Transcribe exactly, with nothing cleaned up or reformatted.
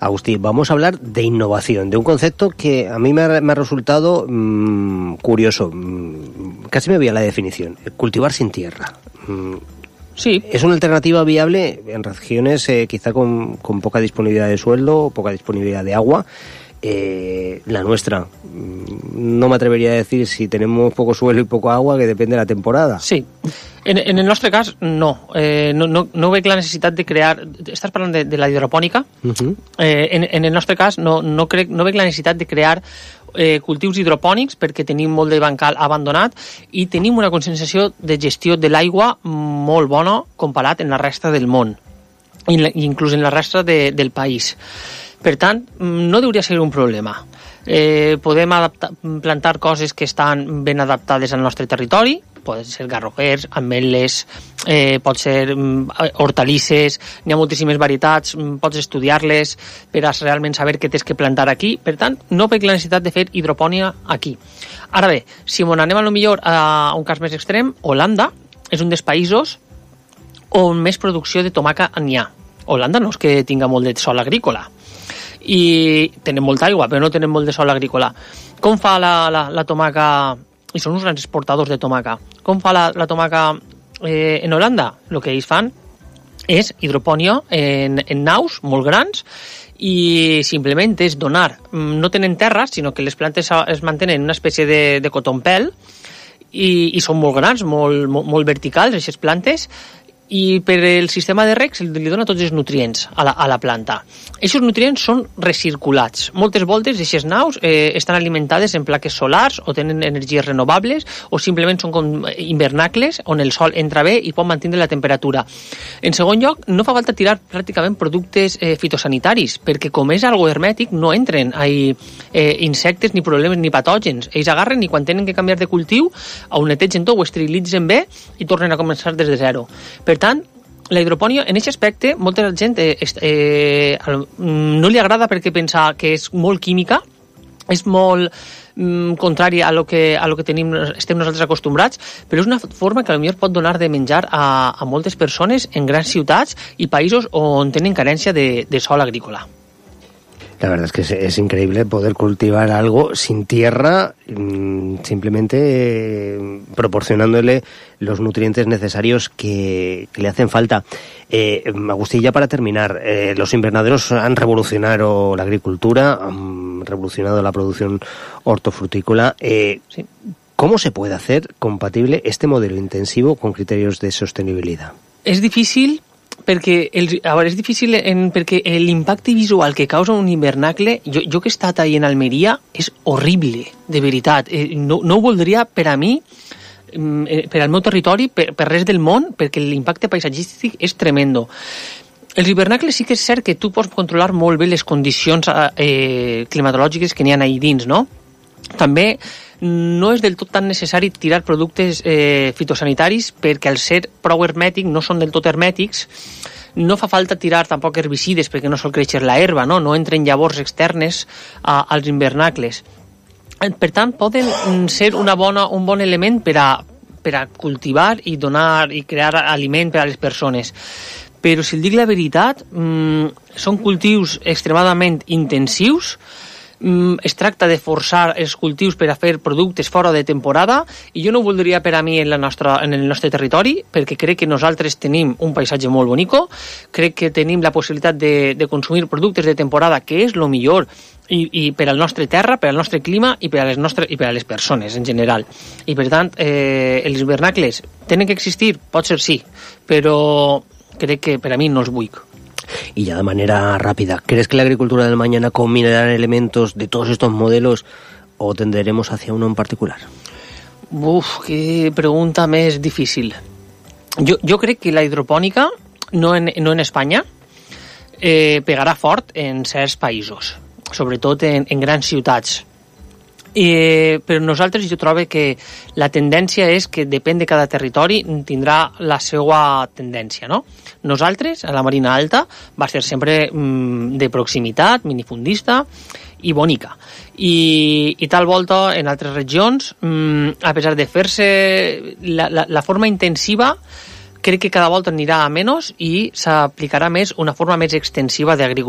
Agustí, vamos a hablar de innovación, de un concepto que a mí me ha, me ha resultado mmm, curioso. Mmm, casi me voy a la definición. Cultivar sin tierra. Mmm, Sí. ¿Es una alternativa viable en regiones eh, quizá con, con poca disponibilidad de suelo, poca disponibilidad de agua? Eh, la nuestra, no me atrevería a decir si tenemos poco suelo y poco agua, que depende de la temporada. Sí, en, en el nostre cas no. Eh, no, no, no veig la necessitat de crear... Estàs parlant de, de la hidropònica? Uh-huh. eh, en, en el nostre cas no, no, crec, no veig la necessitat de crear eh, cultius hidropònics perquè tenim molt de bancal abandonat i tenim una concentració de gestió de l'aigua molt bona comparat en la resta del món, inclús en la resta de, del país. Per tant, no hauria de ser un problema. Eh, podem adaptar, plantar coses que estan ben adaptades al nostre territori, poden ser garroquers, ametlles, eh, pot ser mm, hortalisses, n'hi ha moltíssimes varietats, mm, pots estudiar-les per a realment saber què tens que plantar aquí. Per tant, no veig la necessitat de fer hidropònia aquí. Ara bé, si on anem a lo millor a un cas més extrem, Holanda és un dels països on més producció de tomaca n'hi ha. Holanda no és que tinga molt de sòl agrícola, i tenen molta aigua, però no tenen molt de sòl agrícola. Com fa la, la, la tomaca, i són uns grans exportadors de tomaca, com fa la, la tomaca eh, en Holanda? El que ells fan és hidropònia en, en naus molt grans i simplement és donar, no tenen terra, sinó que les plantes es mantenen en una espècie de, de cotonpel i, i són molt grans, molt, molt, molt verticals, aquestes plantes, i per el sistema de reg li dona tots els nutrients a la, a la planta. Aquests nutrients són recirculats. Moltes voltes d'aquestes naus eh, estan alimentades en plaques solars o tenen energies renovables o simplement són com hivernacles on el sol entra bé i pot mantenir la temperatura. En segon lloc, no fa falta tirar pràcticament productes eh, fitosanitaris, perquè com és algo hermètic no entren ahí, eh, insectes, ni problemes, ni patògens. Ells agarren i quan tenen que canviar de cultiu ho netegen tot, ho esterilitzen bé i tornen a començar des de zero. Per tant, la hidropònia, en aquest aspecte, molta gent eh, eh, no li agrada perquè pensa que és molt química, és molt mm, contrari a lo que, a lo que tenim, estem nosaltres acostumbrats, però és una forma que potser pot donar de menjar a, a moltes persones en grans ciutats i països on tenen carència de, de sòl agrícola. La verdad es que es, es increíble poder cultivar algo sin tierra, mmm, simplemente eh, proporcionándole los nutrientes necesarios que, que le hacen falta. Eh, Agustín, ya para terminar, eh, los invernaderos han revolucionado la agricultura, han revolucionado la producción hortofrutícola. Eh, sí. ¿Cómo se puede hacer compatible este modelo intensivo con criterios de sostenibilidad? És difícil... perquè el, a veure, és difícil en, perquè l'impacte visual que causa un hivernacle, jo, jo que he estat ahí en Almeria, és horrible, de veritat. Eh, no, no ho voldria per a mi, eh, per al meu territori, per, per res del món, perquè l'impacte paisatgístic és tremendo. Els hivernacles sí que és cert que tu pots controlar molt bé les condicions eh, climatològiques que n'hi ha ahí dins, no? També no és del tot tan necessari tirar productes eh, fitosanitaris perquè al ser prou hermètic, no són del tot hermètics, no fa falta tirar tampoc herbicides perquè no sol créixer la herba, no, no entren llavors externes a, als invernacles. Per tant, poden ser una bona, un bon element per a, per a cultivar i donar i crear aliment per a les persones. Però si el dic la veritat, mmm, són cultius extremadament intensius. Es tracta de forçar els cultius per a fer productes fora de temporada i jo no ho voldria per a mi en, la nostra, en el nostre territori perquè crec que nosaltres tenim un paisatge molt bonico, crec que tenim la possibilitat de, de consumir productes de temporada que és el millor i, i per al nostre terra, per al nostre clima i per a les, nostres, i per a les persones en general. I per tant, eh, els hivernacles tenen que existir? Pot ser sí, però crec que per a mi no els vull. Y ya de manera rápida, ¿crees que la agricultura del mañana combinará elementos de todos estos modelos o tenderemos hacia uno en particular? Uf, qué pregunta més difícil. Jo, jo crec que la hidropònica, no en, no en Espanya, eh, pegarà fort en certs països, sobretot en, en grans ciutats. Eh, però nosaltres jo trobo que la tendència és que depèn de cada territori tindrà la seva tendència, no? Nosaltres, a la Marina Alta, va ser sempre mm, de proximitat, minifundista i bonica. I, i tal volta en altres regions, mm, a pesar de fer-se la, la, la forma intensiva, crec que cada volta anirà a menys i s'aplicarà més una forma més extensiva d'agricultura.